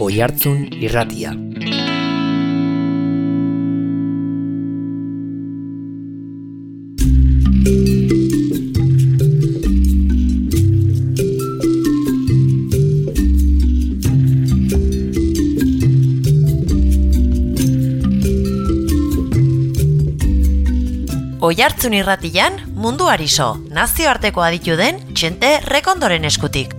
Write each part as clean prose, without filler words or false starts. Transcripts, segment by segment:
Oihartzun Irratia. Oihartzun Irratian munduari so, nazioarteko aditu den Txente Rekondoren eskutik.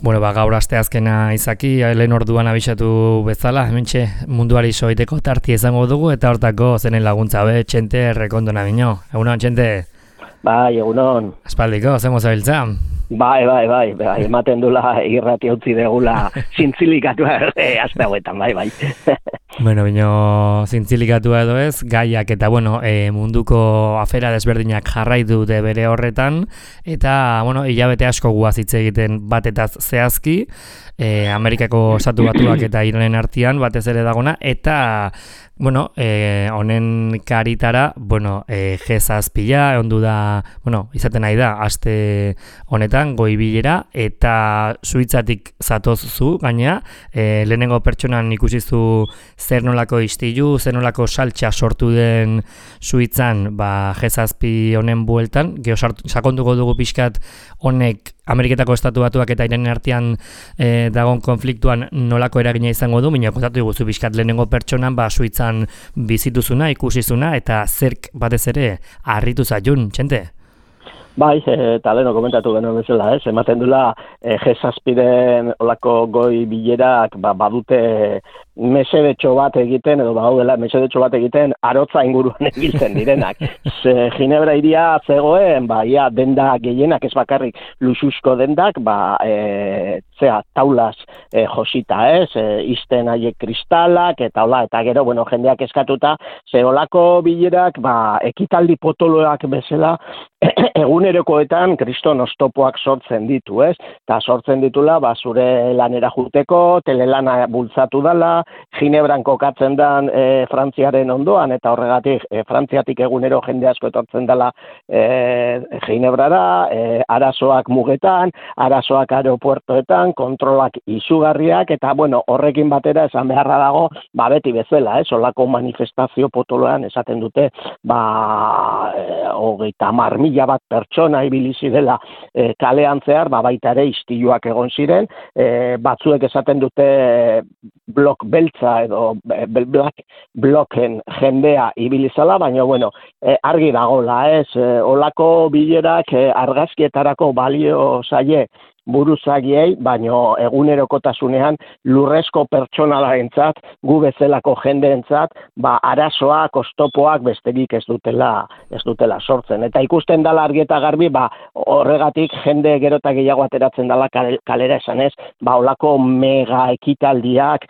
Bueno, gaur asteazkena izaki, lehen orduan abisatu bezala, hementxe munduari soiteko tarti izango dugu, eta hortako zenen laguntza Txente Rekondona bino. Egunon, Txente? Bai, egunon. Aspaldiko, zengo zabiltza? Bai, ematen dula irrati utzi degula zintzilikatua azte hauetan, bai. Bueno, bino zintzilikatua edo ez, gaiak eta munduko afera desberdinak jarraitu dute bere horretan, eta hilabete asko guaz hitz egiten batetaz zehazki, Amerikako Estatu Batuak eta Iranen artean batez ere dagona, eta honen karitara, G7 ondu da, izaten nahi da, aste honetan, goi bilera, eta Suitzatik zatoz zu, gainea, lehenengo pertsonan ikusizu zer nolako istilu, zer nolako saltxa sortu den Suitzan, G7 honen bueltan, sakonduko dugu pixkat honek Ameriketako Estatu Batuak eta Iranen artean dagon konfliktuan nolako eragina izango du, baina kontatu diguzu pixkat lehenengo pertsonan, Suitzan bizituzuna, ikusizuna, eta zerk batez ere harritu zaiun, Txente? Bai, eta leheno komentatu genuen bezala, ematen dula G7-en olako goi bilerak badute mesedetxo bat egiten, edo badaudela mesedetxo bat egiten arotza inguruan egiten direnak. Ginebra iria zegoen, ia denda gehienak, ez bakarrik luxusko dendak, taulas josita, izten haiek kristalak, eta gero, jendeak eskatuta, ze olako bilerak, ekitaldi potoloak bezala, egunerokoetan kriston oztopoak sortzen ditu, eta sortzen ditula, zure lanera juteko, telelana bultzatu dala, Ginebran kokatzen dan Frantziaren ondoan, eta horregatik Frantziatik egunero jende asko etortzen dela Ginebrara, arazoak mugetan, arazoak aeropuertoetan, kontrolak izugarriak, eta horrekin batera esan beharra dago, beti bezala, olako manifestazio potoloan esaten dute, 30.000 bat pertsona ibili zirela kalean zehar, baita ere istiluak egon ziren, batzuek esaten dute blok beltza edo black bloken jendea ibilizala, baina argi dagola, olako bilerak argazkietarako balio zaie buruzagiei, baino egunerokotasunean lurrezko pertsonalarentzat, gu bezalako jendeentzat, arazoak, oztopoak besterik ez dutela sortzen. Eta ikusten dala argi eta garbi, horregatik jende gero eta gehiago ateratzen dala kalera esanez, olako mega ekitaldiak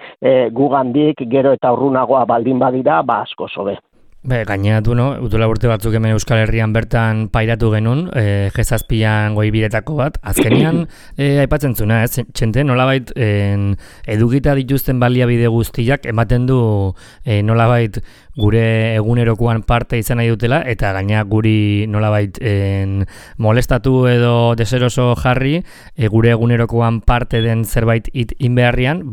gugandik gero eta urrunagoa baldin badira, asko sobe. Gaineratu, utula urte batzuk hemen Euskal Herrian bertan pairatu genuen, G7an goi biretako bat. Azkenean, aipatzen zuna, Txente, nolabait edukita dituzten baliabide guztiak ematen du nolabait gure egunerokoan parte izan nahi dutela, eta gaina guri nolabait molestatu edo deseroso jarri, gure egunerokoan parte den zerbait inbeharrian,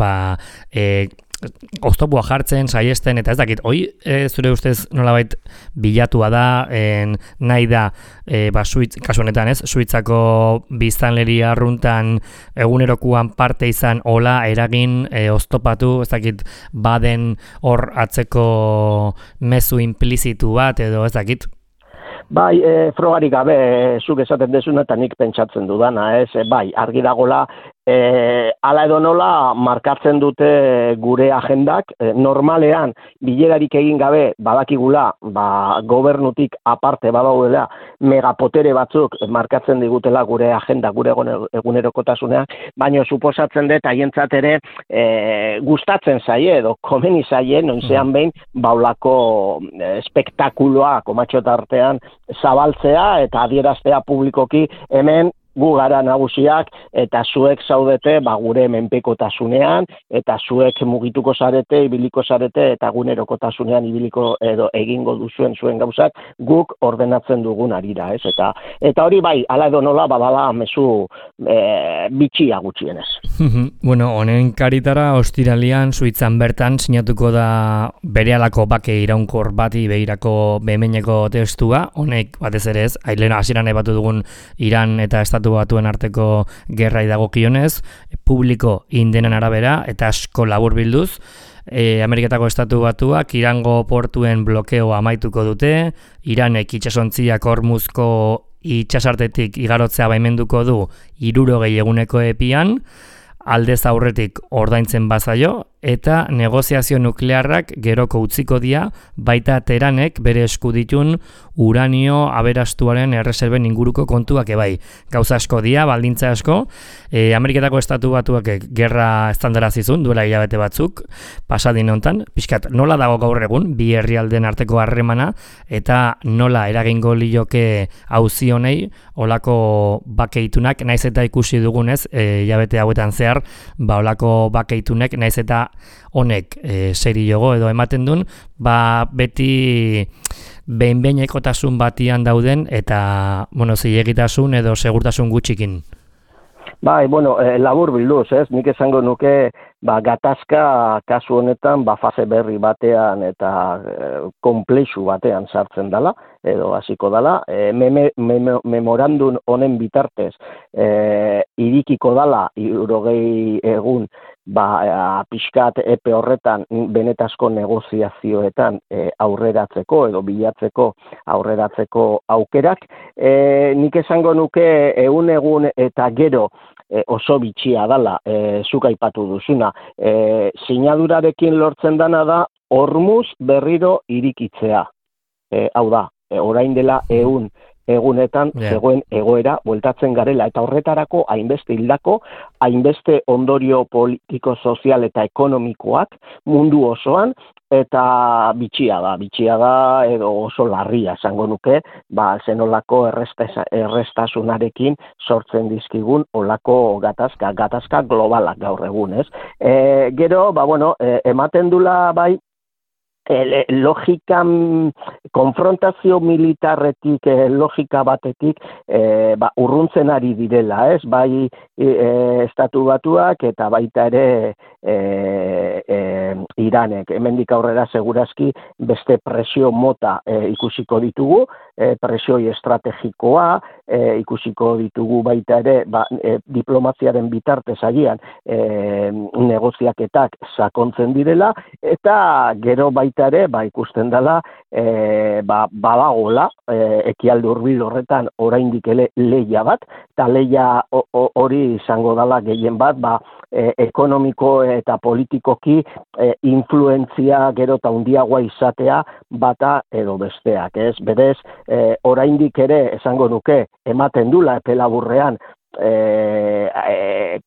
oztopua jartzen, saiesten, eta ez dakit, zure ustez nolabait bilatua da, nahi da, kasu honetan Suitzako biztanleria arruntan egunerokuan parte izan, hola, eragin, oztopatu, ez dakit, baden hor atzeko mezu implizitu bat, edo ez dakit? Frogarik gabe, zuk esaten dezuna eta nik pentsatzen dudana, argi dagola, hala edo nola markatzen dute gure agendak, normalean bilerarik egin gabe badakigula, gobernutik aparte badaudela megapotere batzuk markatzen digutela gure agenda, gure egunerokotasunean, baina suposatzen dut haientzat ere gustatzen zaie edo komeni zaie noizean behin baulako espektakuloa komatxo tartean zabaltzea eta adieraztea publikoki hemen gu gara nagusiak eta zuek zaudete gure menpekotasunean eta zuek mugituko zarete, ibiliko zarete eta gunerokotasunean ibiliko edo egingo duzuen zuen gauzak guk ordenatzen dugun arira, ez? Eta hori bai, hala edo nola badala mezu bitxia gutxienez. Bueno, honen karitara ostiralian Suitzan bertan sinatuko da berehalako bake iraunkor bati begirako behemeneko testua, honek batez ere ez, lehen hasieran aipatu dugun Iran eta Estatu Batuen arteko gerrai dagokionez, publiko indenen arabera eta asko laburbilduz, Ameriketako Estatu Batuak Irango portuen blokeo amaituko dute, Iranek itsasontziak Hormuzko itsasartetik igarotzea baimenduko du 60 eguneko epian, aldez aurretik ordaintzen bazaio, eta negoziazio nuklearrak geroko utziko dira, baita Teheranek bere esku ditun uranio aberastuaren erreserben inguruko kontuak ebai. Gauza asko dira, baldintza asko, Ameriketako Estatu Batuak gerra estandarazizun, duela hilabete batzuk, pasadin hontan, pixkat nola dago gaur egun, bi herrialden arteko harremana, eta nola eragingo lioke auzi honei, olako bakeitunak, naiz eta ikusi dugunez, hilabete hauetan zehar, olako bakeitunek, naiz eta honek seriogo edo ematen duen, beti behin-behinekotasun batian dauden eta, zilegitasun edo segurtasun gutxikin. Bai, labur bilduz, ez? Nik esango nuke, gatazka kasu honetan, fase berri batean eta konplexu batean sartzen dela, edo hasiko dela. Memorandum honen bitartez, irikiko dela, 60 egun, pixkat epe horretan benetazko negoziazioetan aurreratzeko edo bilatzeko aurreratzeko aukerak. Nik esango nuke 100 egun eta gero oso bitxia dela, zuk aipatu duzuna. Sinadurarekin lortzen dana da Hormuz berriro irikitzea. Hau da, orain dela 100 egunetan zegoen egoera bueltatzen garela eta horretarako hainbeste hildako, hainbeste ondorio politiko, sozial eta ekonomikoak mundu osoan eta bitxia da edo oso larria esango nuke, zenolako errestasunarekin sortzen dizkigun olako gatazka globalak gaur egun, ez? Gero, ematen dula bai logikan, konfrontazio militarretik, logika batetik urruntzen ari direla, ez? Bai Estatu Batuak eta baita ere Iranek. Hemendik aurrera segurazki beste presio mota ikusiko ditugu, presioi estrategikoa ikusiko ditugu baita ere diplomaziaren bitartez agian negoziaketak sakontzen direla eta gero baita ere ikusten dela badagola ekialde hurbil horretan oraindik lehia bat eta lehia hori izango dela gehien bat ekonomiko eta politikoki influentzia gero eta handiagoa izatea bata edo besteak, ez? Berez, oraindik ere esango nuke ematen dula epe laburrean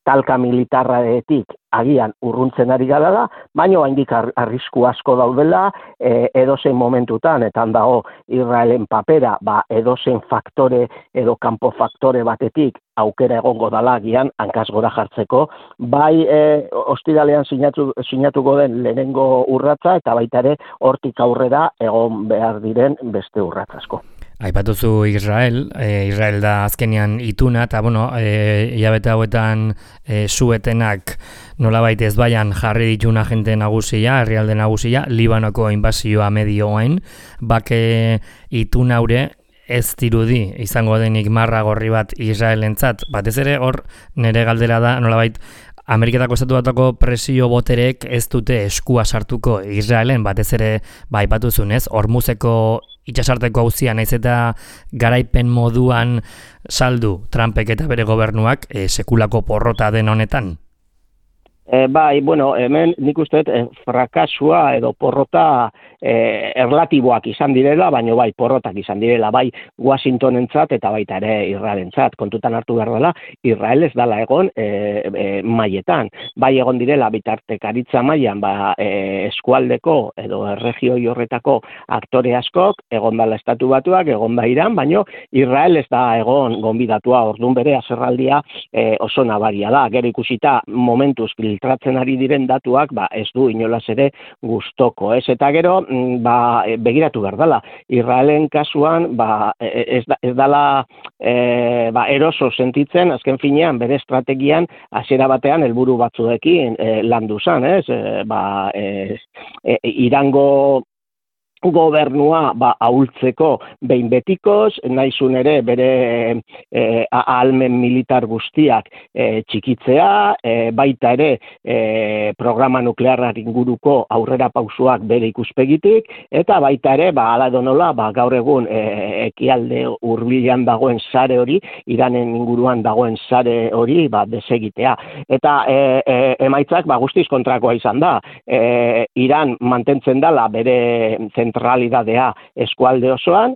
talka militarraetik agian urruntzen ari gara, baina oraindik arrisku asko daudela edozein momentutan, eta dago Israelen papera, edozein faktore edo kanpo faktore batetik aukera egongo dala agian hankaz gora jartzeko, bai ostiralean sinatuko den lehenengo urratsa eta baita ere hortik aurrera egon behar diren beste urrats asko. Aipatuzu Israel da azkenean ituna, eta hilabete hauetan suetenak nolabait ezbaian jarri ditun agente nagusia, herrialde nagusia, Libanoko inbasioa medioen, bake ituna haure ez dirudi izango denik marra gorri bat Israelentzat, batez ere hor nire galdera da nolabait Ameriketako Estatu Batuako presio boterek ez dute eskua sartuko Israelen, batez ere aipatuzunez, Hormuzeko itsasarteko auzia naiz eta garaipen moduan saldu Trumpek eta bere gobernuak sekulako porrota den honetan? Bai, bueno, hemen nik uste frakasua edo porrota erlatiboak izan direla, baina bai, porrotak izan direla, bai Washingtonentzat eta baita ere Israelentzat. Kontutan hartu behar dela, Israel ez dela egon mailetan. Bai egon direla bitartekaritza mailan, eskualdeko edo erregioi horretako aktore askok, egon dela Estatu Batuak, egon da Iran, baina Israel ez da egon gonbidatua, orduan bere haserraldia oso nabaria da. Gero ikusita momentuz filtratzen ari diren datuak, ez du inolaz ere gustoko, ez? Eta gero, begiratu behar dela. Israelen kasuan, ez dela eroso sentitzen, azken finean, bere estrategian, hasiera batean, helburu batzuekin landu zen, ez? Irango gobernua ahultzeko behin betikoz, naizun ere bere ahalmen militar guztiak txikitzea, baita ere programa nuklearrak inguruko aurrera pausuak bere ikuspegitik, eta baita ere, ala donola, gaur egun ekialde hurbilean dagoen sare hori, Iranen inguruan dagoen sare hori desegitea. Eta emaitzak guztiz kontrakoa izan da. Iran mantentzen dela bere zentralidadea eskualde osoan,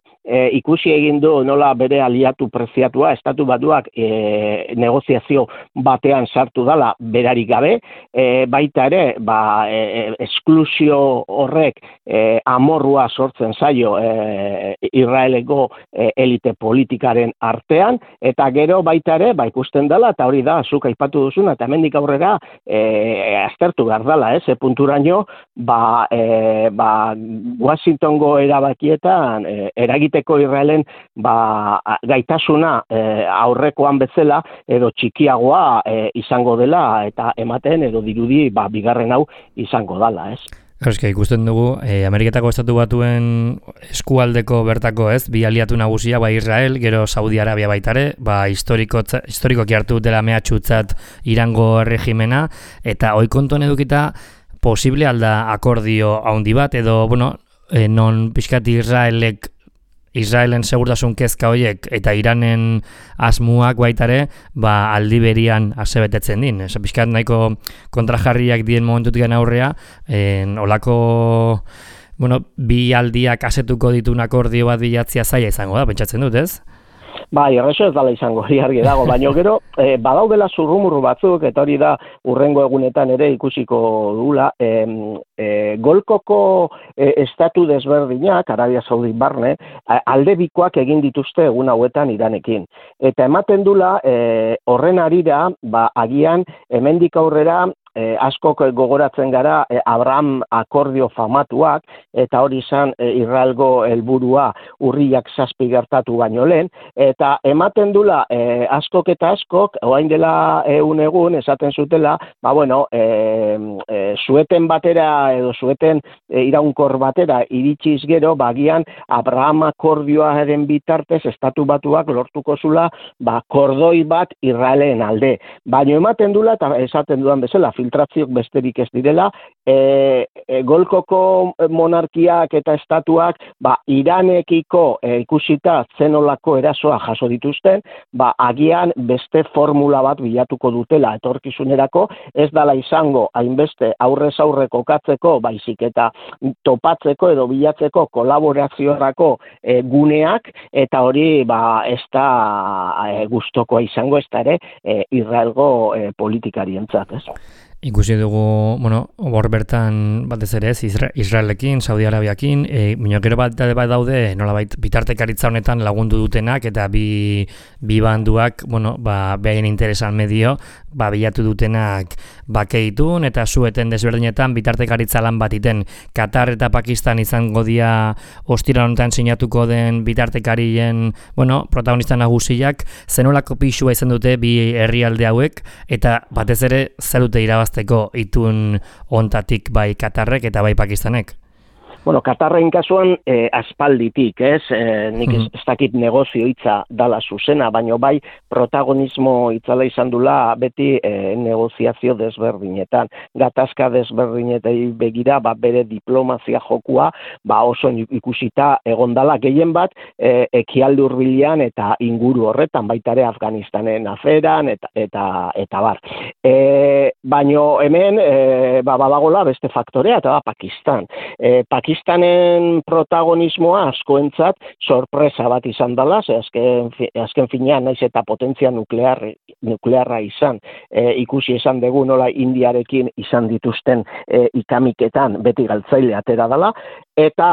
ikusi egin du nola bere aliatu preziatua, Estatu Batuak negoziazio batean sartu dela berarik gabe, baita ere, esklusio horrek amorrua sortzen zaio Israeleko elite politikaren artean, eta gero baita ere, ikusten dela, eta hori da, zuk aipatu duzuna, eta hemendik aurrera aztertu behar dela, punturaino, Washingtongo erabakietan eragiteko Israelen gaitasuna aurrekoan bezala edo txikiagoa izango dela eta ematen edo dirudi bigarren hau izango dela, ez? Euskal, ikusten dugu, Ameriketako Estatu Batuen eskualdeko bertako bi aliatu nagusia, Israel, gero Saudi Arabia baitare, historikoki hartu dela mehatxutzat Irango regimena, eta oikontuan edukita posible alda akordio handi bat, edo, non pixkat Israelen segurtasun kezka horiek eta Iranen asmuak baitare, aldi berian asebetetzen din. Pixkat nahiko kontrajarriak dien momentutik aurrea, olako, bi aldiak asetuko ditun akordio bat bilatzia zaila izango da, pentsatzen dut, ez? Erreso ez dala izango, argi dago, baina gero, badaudela zurrumurru batzuk, eta hori da urrengo egunetan ere ikusiko dugula, Golkoko estatu desberdinak, Arabia Saudi barne, aldebikoak egin dituzte egun hauetan Iranekin. Eta ematen dula, horren arira, agian, hemendik aurrera, askok gogoratzen gara Abraham akordio famatuak, eta hori izan Israelgo helburua urriak 7 gertatu baino lehen, eta ematen dula askok eta askok, orain dela egun esaten zutela, zueten batera edo zueten iraunkor batera iritsiz gero, bagian Abraham akordioaren bitartez Estatu Batuak lortuko zula, kordoi bat Israelen alde. Baina ematen dula, eta esaten dudan bezala, filtrazioak besterik ez direla, Golkoko monarkiak eta estatuak Iranekiko ikusita zenolako erasoa jaso dituzten, agian beste formula bat bilatuko dutela etorkizunerako, ez dala izango hainbeste aurrez aurre kokatzeko, baizik eta topatzeko edo bilatzeko kolaboraziorako guneak, eta hori ez da gustokoa izango, ez da ere Israelgo politikarientzat, ez? Ikusi dugu, hor bertan batez ere ez, Israelekin, Saudi Arabiakin, minokero bat daude, nolabait bitartekaritza honetan lagundu dutenak, eta bi banduak, behaien interesan medio, bilatu dutenak bakeitun, eta zueten desberdinetan bitartekaritza lan bat iten. Katar eta Pakistan izango dia ostira honetan sinatuko den bitartekarien, protagonista nagusiak, zenolako pixua izan dute bi herrialde hauek, eta batez ere zer dute irabazteko itun ontatik bai Katarrek eta bai Pakistanek? Bueno, Katarren kasuan aspalditik, ez? Nik ez dakit negozio hitza dala zuzena, baino bai protagonismo hitzala izan dula beti negoziazio desberdinetan. Gatazka desberdinetei begira, bere diplomazia jokua, oso ikusita egondala gehien bat ekialde hurbilean eta inguru horretan, baita ere Afganistanen aferan eta bar. Baino hemen badagola beste faktorea eta da Pakistan. Pakistanen protagonismoa askoentzat sorpresa bat izan dela, azken finean naiz eta potentzia nuklearra izan, ikusi esan dugu nola Indiarekin izan dituzten ikamiketan beti galtzaile atera dela, eta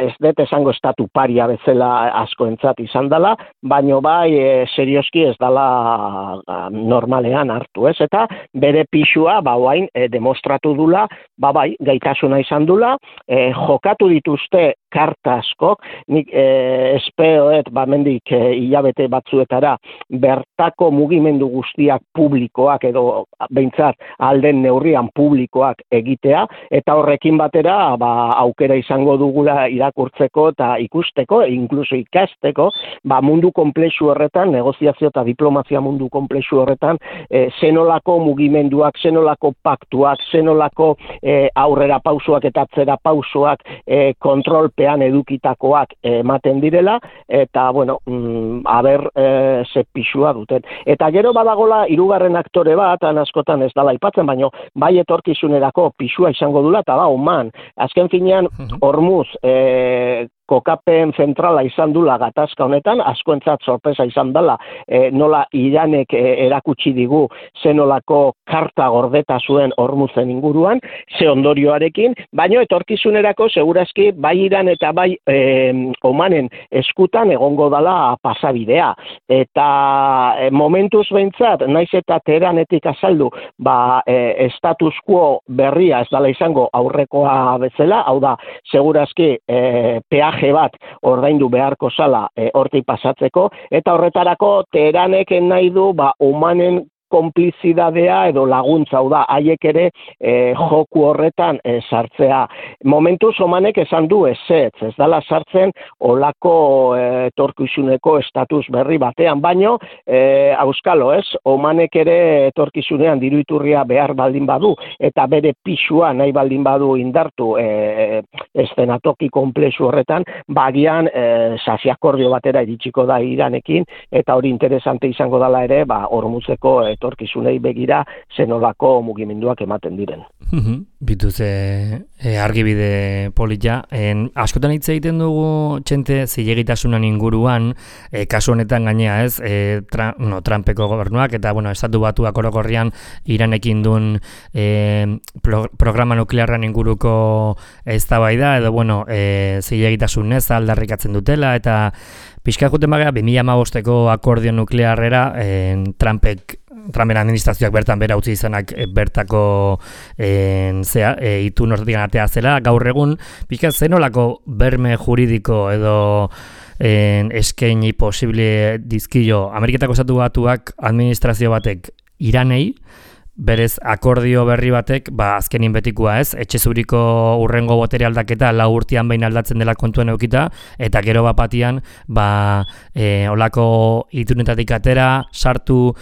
ez dut esango estatu paria bezala askoentzat izan dela, baino bai serioski ez dela normalean hartu, ez? Eta bere pixua orain demostratu dula, bai gaitasuna izan dula, jokatu dituzte karta askok, nik espeoet mendik hilabete batzuetara bertako mugimendu guztiak publikoak edo behintzat alden neurrian publikoak egitea, eta horrekin batera aukera izango dugula irakurtzeko eta ikusteko, inkluso ikasteko, mundu komplexu horretan, negoziazio eta diplomazia mundu komplexu horretan, zenolako mugimenduak, zenolako paktuak, zenolako aurrera pausoak eta atzera pausoak kontrolpean edukitakoak ematen direla, eta, bueno, ze pixua duten. Eta gero badagola hirugarren aktore bat, askotan ez dala aipatzen, baino bai etorkizunerako pixua izango dula, eta da, Oman. Azken finean, Hormuz, kokapen zentrala izan dula gatazka honetan, askoentzat sorpresa izan dela, nola Iranek erakutsi digu zenolako karta gordeta zuen Hormuzen inguruan, ze ondorioarekin, baino etorkizunerako segurazki bai Iran eta bai Omanen eskutan egongo dala pasabidea. Eta momentuz behintzat, naiz eta Teheranetik azaldu, status quo berria ez dala izango aurrekoa bezala, hau da, segurazki peaje bat ordaindu beharko zala hortik pasatzeko, eta horretarako Teheranek nahi du Omanen konplizidadea edo laguntza, hau da, haiek ere joku horretan sartzea. Momentuz Omanek esan du ez dala sartzen olako etorkizuneko estatus berri batean, baino, auskalo ez, Omanek ere etorkizunean diru iturria behar baldin badu, eta bere pixua nahi baldin badu indartu eszenatoki konplexu horretan, bagian sasi-akordio batera iritsiko da Iranekin, eta hori interesante izango dela ere, Hormuzeko etorkizunei begira zenolako mugimenduak ematen diren. Bituz argibide polita. Askotan hitz egiten dugu Txente zilegitasunan inguruan, kasu honetan gainea ez, Trumpeko gobernuak eta estatu batuak orokorrian Iranekin duen programa nuklearran inguruko eztabaida edo zilegitasunez aldarrikatzen dutela, eta pixka juten bagea 2015ko akordio nuklearrera Trumpen administrazioak bertan bera utzi izanak bertako itun horretik atea zela, gaur egun pixka zenolako berme juridiko edo eskaini posible dizkio Ameriketako Estatu Batuak administrazio batek Iranei, berez akordio berri batek, azkenin betikoa ez, etxe zuriko urrengo botere aldaketa 4 urtean behin aldatzen dela kontuan eukita, eta gero batian, olako itunetatik atera, sartu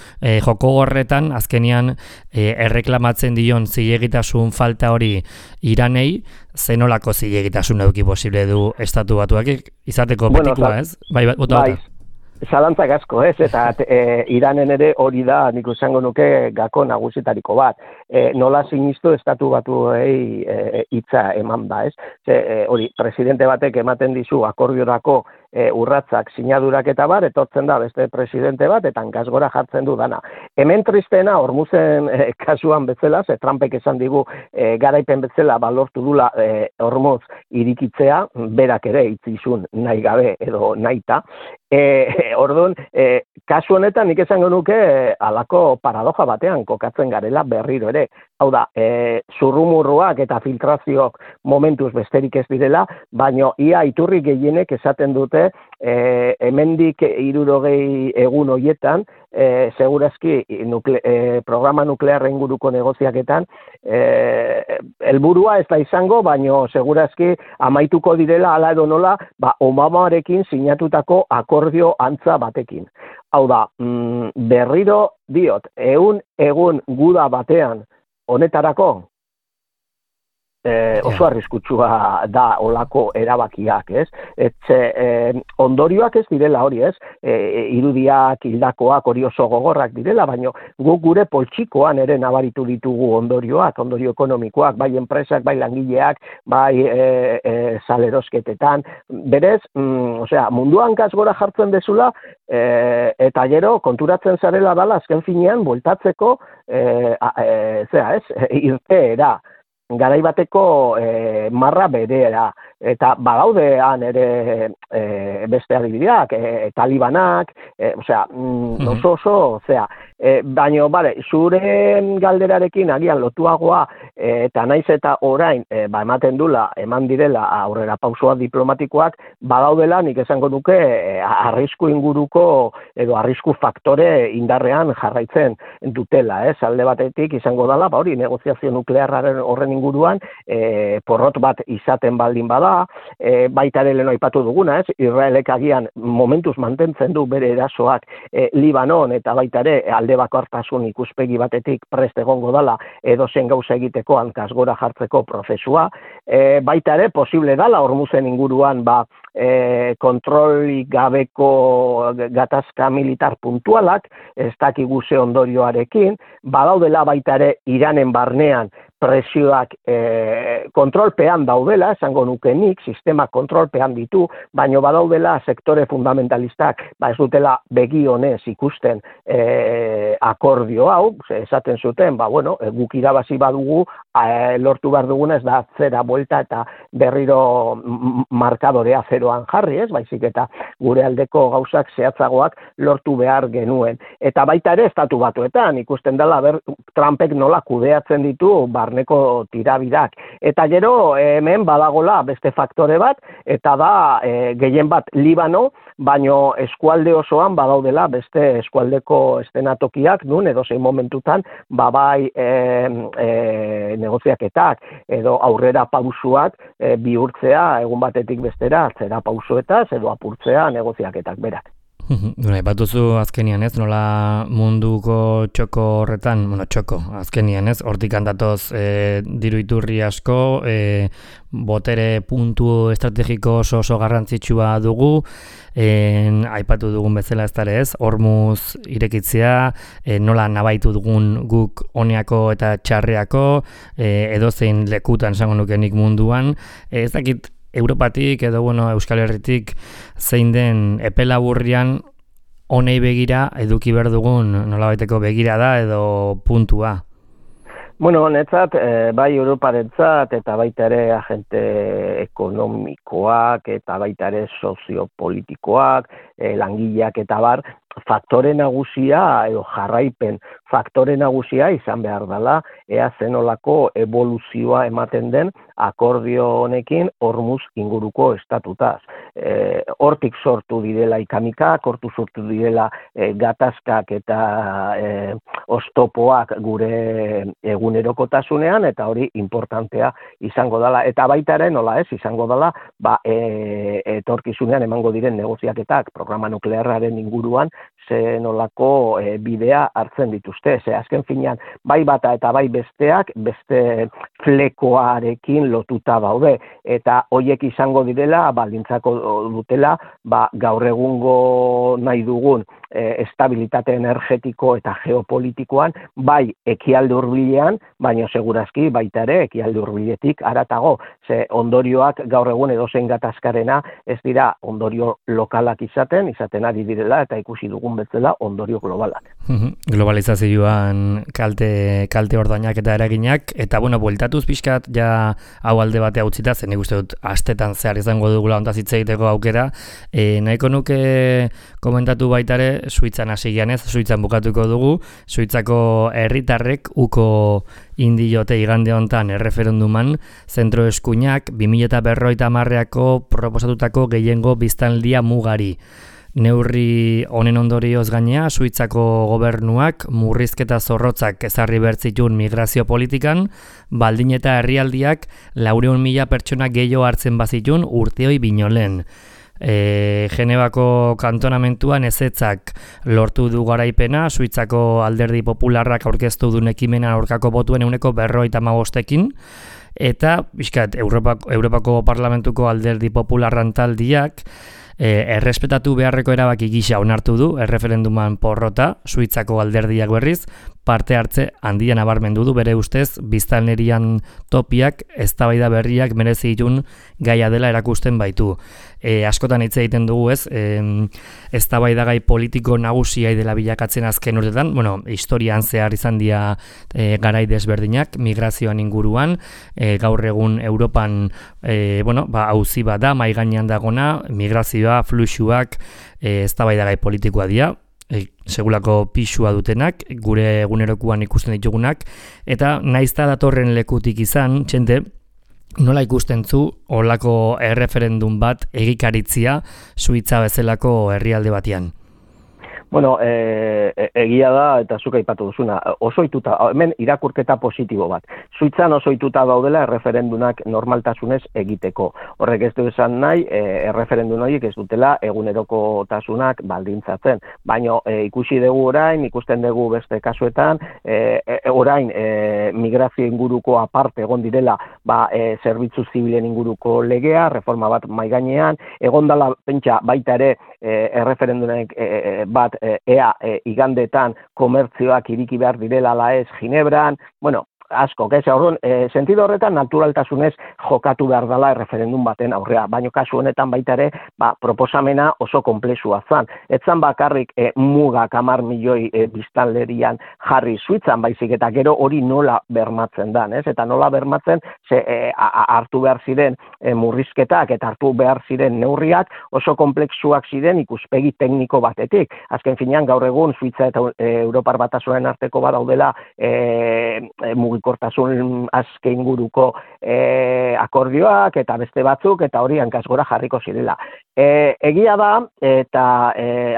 joko horretan, azkenian erreklamatzen dion zilegitasun falta hori Iranei, zenolako zilegitasun eduki posible du Estatu Batuak, izateko betikoa ez? Bai. Zalantzak asko, ez? Eta Iranen ere hori da, nik esango nuke gako nagusitariko bat. Nola sinistu Estatu Batuei hitza eman da, ez? Hori, presidente batek ematen dizu akordiorako urratzak, sinadurak eta bar, etortzen da beste presidente bat, eta hankasgora jartzen du dana. Hemen tristeena, Hormuzen kasuan bezala, Trumpek esan digu garaipen bezala balortu dula Hormuz irikitzea, berak ere itzizun nahi gabe edo nahita. Orduan, kasu honetan nik esango nuke halako paradoja batean kokatzen garela berriro ere. Hau da, zurrumurruak eta filtrazioak momentuz besterik ez direla, baino ia iturri gehienek esaten dute dute, hemendik 60 egun horietan, segurazki programa nuklearra inguruko negoziaketan, helburua ez da izango, baino segurazki amaituko direla hala edo nola, Obamarekin sinatutako akordio antza batekin. Hau da, berriro diot, 100 egun guda batean honetarako, oso arriskutsua da olako erabakiak, ez? Ondorioak ez direla hori, ez? Irudiak, hildakoak, hori oso gogorrak direla, baina guk gure poltsikoan ere nabaritu ditugu ondorioak, ondorio ekonomikoak, bai enpresak, bai langileak, bai salerosketetan. Berez, munduan gaz gora jartzen dezula, eta gero konturatzen zarela dala azken finean bueltatzeko, irteera. Garai bateko marra bereera, eta badaudean ere beste adibideak, talibanak, baina, zure galderarekin agian lotuagoa, eta naiz eta orain, eman direla aurrera pausua diplomatikoak, badaudela nik esango duke arrisku inguruko edo arrisku faktore indarrean jarraitzen dutela, alde batetik izango dela, hori negoziazio nuklearraren horren inguruan, porrot bat izaten baldin bada, baita ere lehen aipatu duguna, Israelek agian momentuz mantentzen du bere erasoak Libanon eta baita ere alde bakartasun ikuspegi batetik prest egongo dela edozen gauza egiteko hankaz gora jartzeko prozesua, baita ere posible dela Hormuzen inguruan kontrolik gabeko gatazka militar puntualak, ez dakigu ze ondorioarekin, badaudela baita ere Iranen barnean presioak kontrolpean daudela, esango nukenik, sistema kontrolpean ditu, baino badaudela sektore fundamentalistak, ez dutela begi honez ikusten akordio hau, esaten zuten, guk irabazi badugu, lortu behar duguna ez da zera buelta eta berriro markadorea zeroan jarri, baizik eta gure aldeko gauzak zehatzagoak lortu behar genuen. Eta baita ere estatu batuetan, ikusten dela Trumpek nola kudeatzen ditu barneko tirabirak. Eta gero hemen badagola beste faktore bat, eta da gehien bat Libano, baino eskualde osoan badaudela beste eskualdeko estenatokiak, nun edozein momentutan, bai negoziaketak edo aurrera pausuak bihurtzea egun batetik bestera atzera pausuetaz edo apurtzea negoziaketak berak. Batuzu azkenian nola munduko txoko horretan, azkenian hortik handatoz diru iturri asko, botere puntu estrategiko oso garrantzitsua dugu, aipatu dugun bezala Hormuz irekitzea, nola nabaitu dugun guk oneako eta txarreako, edozein lekutan esango nukenik munduan, ez dakit Europatik edo Euskal Herritik zein den epe laburrean honei begira eduki behar dugun nolabaiteko begira da edo puntua? Netzat, bai Europarentzat eta baita ere agente ekonomikoak eta baita ere soziopolitikoak, langileak eta bar, faktore nagusia edo jarraipen faktore nagusia izan behar dela, ea zenolako evoluzioa ematen den akordio honekin Hormuz inguruko estatutaz. Hortik sortu direla ikamikak, hortu sortu direla gatazkak eta oztopoak gure egunerokotasunean, eta hori importantea izango dela. Eta baita ere nola izango dela, etorkizunean emango diren negoziaketak programa nuklearraren inguruan, ze nolako bidea hartzen dituzte. Ze azken finean, bai bata eta bai besteak, beste flekoarekin lotuta daude. Eta hoiek izango direla, baldintzako dutela, gaur egungo nahi dugun estabilitate energetiko eta geopolitikoan, bai ekialde hurbilean, baina segurazki baita ere ekialde hurbiletik haratago. Ze ondorioak gaur egun edozein gatazkarena ez dira ondorio lokalak izaten ari direla, eta ikusi dugun egon bezala ondorio globalak. Globalizazioan kalte ordainak eta eraginak, eta bueno, bueltatuz pixkat ja hau alde batea utzita, zen nik uste dut astetan zehar izango dugula ontaz hitz egiteko aukera, nahiko nuke komentatu baitare, Suitzan hasi gianez, Suitzan bukatuko dugu, Suitzako herritarrek uko indiote igande hontan erreferenduman zentro eskuinak 2050ako proposatutako gehiengo biztanlia mugari. Neurri honen ondorioz gainea, Suitzako gobernuak murrizketa zorrotzak ezarri bertzitun migrazio politikan, baldin eta herrialdiak 400.000 pertsona gehiago hartzen bazitun urteoi binolen. Genebako kantonamentuan ezetzak lortu du garaipena, Suitzako alderdi popularrak aurkeztu duen ekimena aurkako botuen 55%, eta bizkat, Europako Parlamentuko alderdi popularran taldiak errespetatu beharreko erabaki gisa onartu du erreferenduman porrota, Suitzako alderdiak berriz, parte hartze handian nabarmendu du bere ustez biztanlerian topiak eztabaida berriak merezi ditun gaia dela erakusten baitu. Askotan hitz egiten dugu ez, eztabaidagai politiko nagusia dela bilakatzen azken urtetan, bueno, historian zehar izan dira garai desberdinak migrazioan inguruan, gaur egun Europan auzi bat da mai gainean dagona, migrazioa, fluxuak, eztabaidagai politikoa dira. Segulako pisua dutenak, gure egunerokuan ikusten ditugunak, eta naizta datorren lekutik izan, txente, nola ikusten zu holako erreferendum bat egikaritzia Suitza bezalako herrialde batean? Bueno, egia da, eta zuk aipatu duzuna, osoituta, hemen irakurketa positibo bat. Suitzan osoituta daudela erreferendunak normaltasunez egiteko. Horrek ez du esan nahi, erreferendun horiek ez dutela egunerokotasunak baldintzatzen. Baina ikusi dugu orain, ikusten dugu beste kasuetan, orain migrazio inguruko aparte egon direla zerbitzu zibilen inguruko legea, reforma bat maigainean, egon dela pentsa baita ere erreferendunek bat ea igandetan komertzioak iriki behar direla ala ez Ginebran, bueno, asko, sentido horretan naturaltasunez jokatu behar dela erreferendum baten aurrea, baina kasu honetan baita ere, proposamena oso komplexua zan. Etzan bakarrik mugak 10 milioi biztanlerian jarri Suitzan baizik eta gero hori nola bermatzen dan, ez? Eta nola bermatzen, hartu behar ziren murrizketak eta hartu behar ziren neurriak oso komplexuak ziren ikuspegi tekniko batetik. Azken finean gaur egun Suitza eta Europar Batasunaren arteko badaudela mugikortasun aske inguruko akordioak eta beste batzuk eta hori hankaz gora jarriko zirela. Egia da eta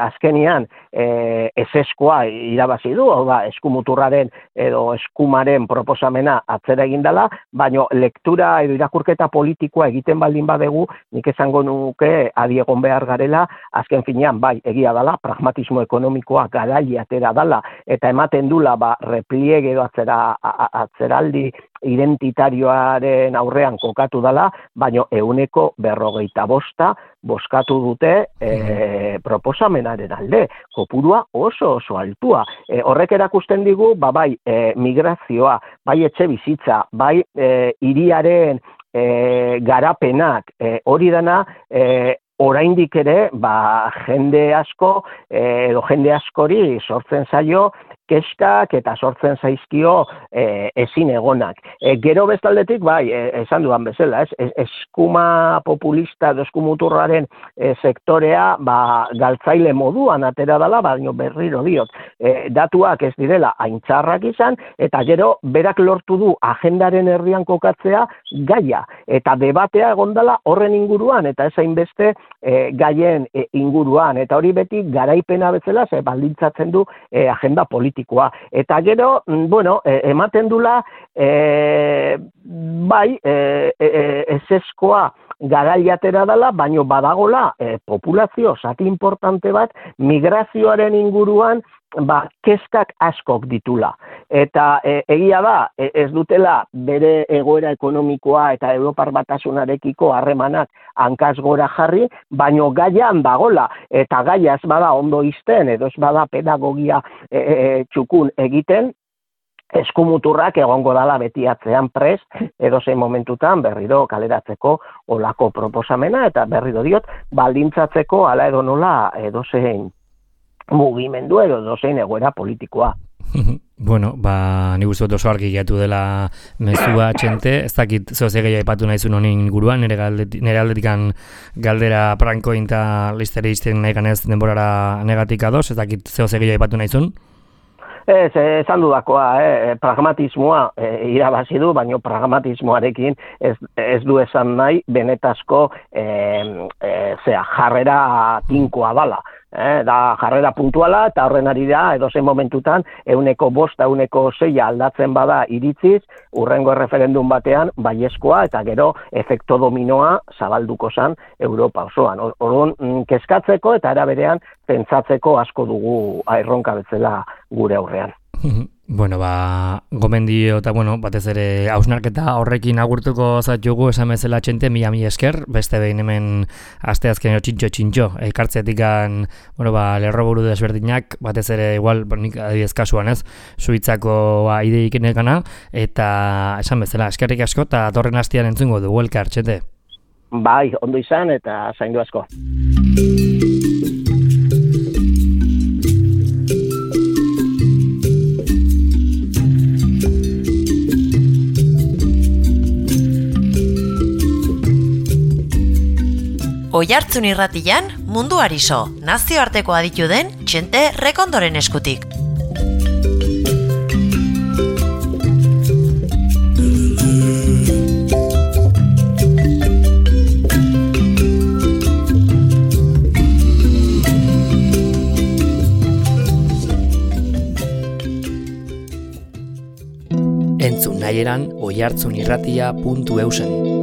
azkenian ezeskoa irabazi du, hau da eskumuturraren edo eskumaren proposamena atzera egin dela, baina lektura edo irakurketa politikoa egiten baldin badegu, nik esango nuke adi egon behar garela, azken finean bai egia dela, pragmatismo ekonomikoa garaile atera dela eta ematen dula repliege edo atzeraldi identitarioaren aurrean kokatu dela, baina 150% bozkatu dute proposamenaren alde. Kopurua oso altua. Horrek erakusten digu, bai migrazioa, bai etxe bizitza, bai hiriaren garapenak, hori dena oraindik ere, jende asko edo jende askori sortzen zaio keskak eta sortzen zaizkio ezin egonak. Gero bestaldetik, esan duan bezala, eskuma populista edo eskumuturraren sektorea galtzaile moduan atera dela, baina berriro diot. Datuak ez direla aintzarrak izan, eta gero berak lortu du agendaren herrian kokatzea gaia, eta debatea egondala horren inguruan, eta ez hainbeste gaien inguruan, eta hori beti garaipena bezala baldintzatzen du agenda politikoa. Eta gero, ematen dula, ezeskoa garaiatera dela, baino badagola populazio zati importante bat migrazioaren inguruan kezkak askok ditula. Eta egia da, ez dutela bere egoera ekonomikoa eta Europar Batasunarekiko harremanak hankaz gora jarri, baino gaian dagola, eta gaia ez bada ondo izten, edo ez bada pedagogia txukun egiten, eskumuturrak egongo dala beti atzean prest, edozein momentutan berriro kaleratzeko olako proposamena, eta berriro diot, baldintzatzeko ala edo nola edozein mugimendu edo dozein egoera politikoa. Bueno, ni uste dut oso argi gatu dela mezua txente, ez dakit zeo ze gehiago aipatu nahizun honin inguruan, nire aldetikan galdera prankoin eta listere izten nahi ganez denborara negatik ados, ez dakit zeo ze gehiago aipatu nahizun? Ez, esan dudakoa, pragmatismoa irabazi du, baina pragmatismoarekin ez du esan nahi benetazko jarrera tinkoa dala. Da jarrera puntuala eta horren ari da edozein momentutan 105, 106 aldatzen bada iritziz, urrengo referendum batean baiezkoa eta gero efekto dominoa zabalduko zan Europa osoan. Orduan kezkatzeko eta era berean pentsatzeko asko dugu erronka bezala gure aurrean. Bueno, gomendio eta batez ere hausnarketa horrekin agurtuko zaitugu esan bezala txente, mila esker, beste behin hemen asteazkenero txintxo, ekartzeatikan, lerroburu desberdinak, batez ere igual, nik adibidez kasuan ez, Suitzako ideik nekana, eta esan bezala, eskerrik asko, eta torren hastian entzungo dugu elkar, txente. Bai, ondo izan eta zaindu asko. Oihartzun irratian munduari so, nazioarteko aditu den Txente Rekondoren eskutik. Entzun nahieran oihartzunirratia.eusen.